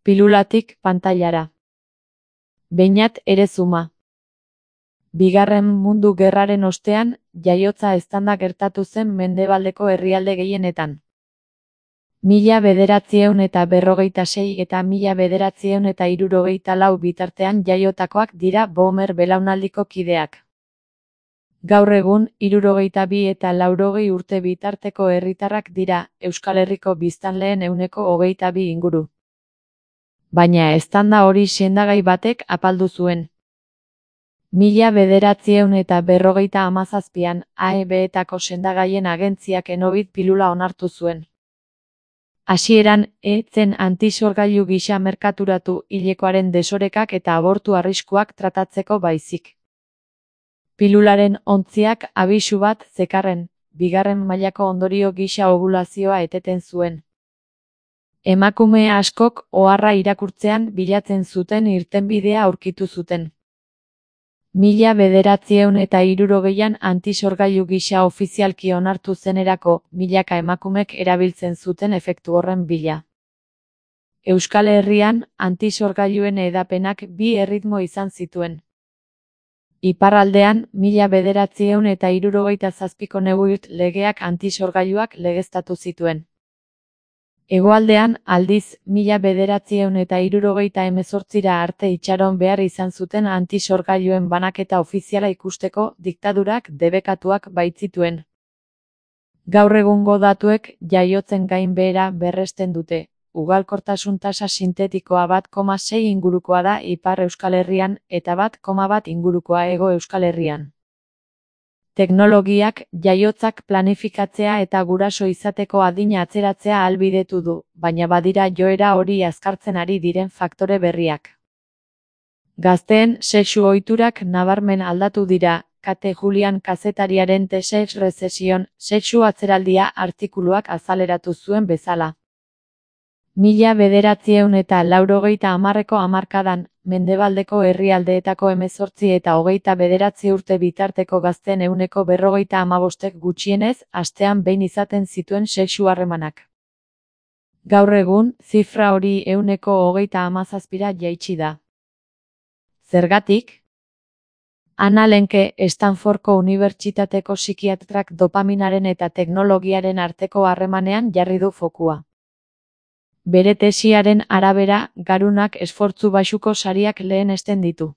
Pilulatik pantailara. Beñat Erezuma. Bigarren Mundu Gerraren ostean, jaiotza eztanda gertatu zen mendebaldeko herrialde gehienetan. 1946 eta 1964 bitartean jaiotakoak dira Boomer belaunaldiko kideak. Gaur egun, 62 eta 80 urte bitarteko herritarrak dira, Euskal Herriko biztanleen 22% inguru. Baina eztanda hori sendagai batek apaldu zuen. 1957an, AEB-etako sendagaien agentziak Enobit pilula onartu zuen. Hasieran, zen antisorgailu gisa merkaturatu hilekoaren desorekak eta abortu arriskuak tratatzeko baizik. Pilularen ontziak abisu bat zekarren, bigarren mailako ondorio gisa obulazioa eteten zuen. Emakume askok oharra irakurtzean bilatzen zuten irtenbidea aurkitu zuten. 1960an antisorgailu gisa ofizialki onartu zenerako, milaka emakumek erabiltzen zuten efektu horren bila. Euskal Herrian, antisorgailuen hedapenak bi erritmo izan zituen. Iparraldean, 1967ko Neuwirt legeak antisorgailuak legeztatu zituen. Hegoaldean, aldiz, 1978 arte itxaron behar izan zuten antisorgailuen banaketa ofiziala ikusteko diktadurak debekatuak baitzituen. Gaur egungo datuek jaiotzen gainbehera berresten dute. Ugalkortasun tasa sintetikoa 1,6 ingurukoa da Ipar Euskal Herrian eta 1,1 ingurukoa Hego Euskal Herrian. Teknologiak jaiotzak planifikatzea eta guraso izateko adina atzeratzea ahalbidetu du, baina badira joera hori azkartzen ari diren faktore berriak. Gazteen sexu ohiturak nabarmen aldatu dira, Kate Julian kazetariaren The Sex Recession, sexu atzeraldia artikuluak azaleratu zuen bezala. 1980ko hamarkadan, mendebaldeko herrialdeetako 18 eta 29 urte bitarteko gazteen 45% gutxienez, astean behin izaten zituen sexu harremanak. Gaur egun, zifra hori 37%ra jaitsi da. Zergatik? Ana Lenke, Stanfordko Unibertsitateko psikiatrak dopaminaren eta teknologiaren arteko harremanean jarri du fokua. Bere tesiaren arabera, garunak esfortzu baxuko sariak lehenesten ditu.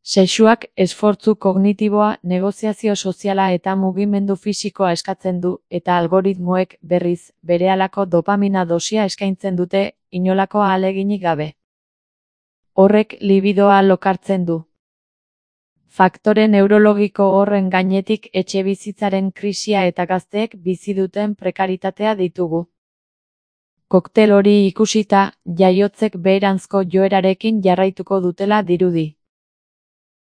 Sexuak esfortzu kognitiboa, negoziazio soziala eta mugimendu fisikoa eskatzen du, eta algoritmoek, berriz, berehalako dopamina dosia eskaintzen dute, inolako ahaleginik gabe. Horrek libidoa lokartzen du. Faktore neurologiko horren gainetik etxebizitzaren krisia eta gazteek bizi duten prekaritatea ditugu. Koktel hori ikusita, jaiotzek beheranzko joerarekin jarraituko dutela dirudi.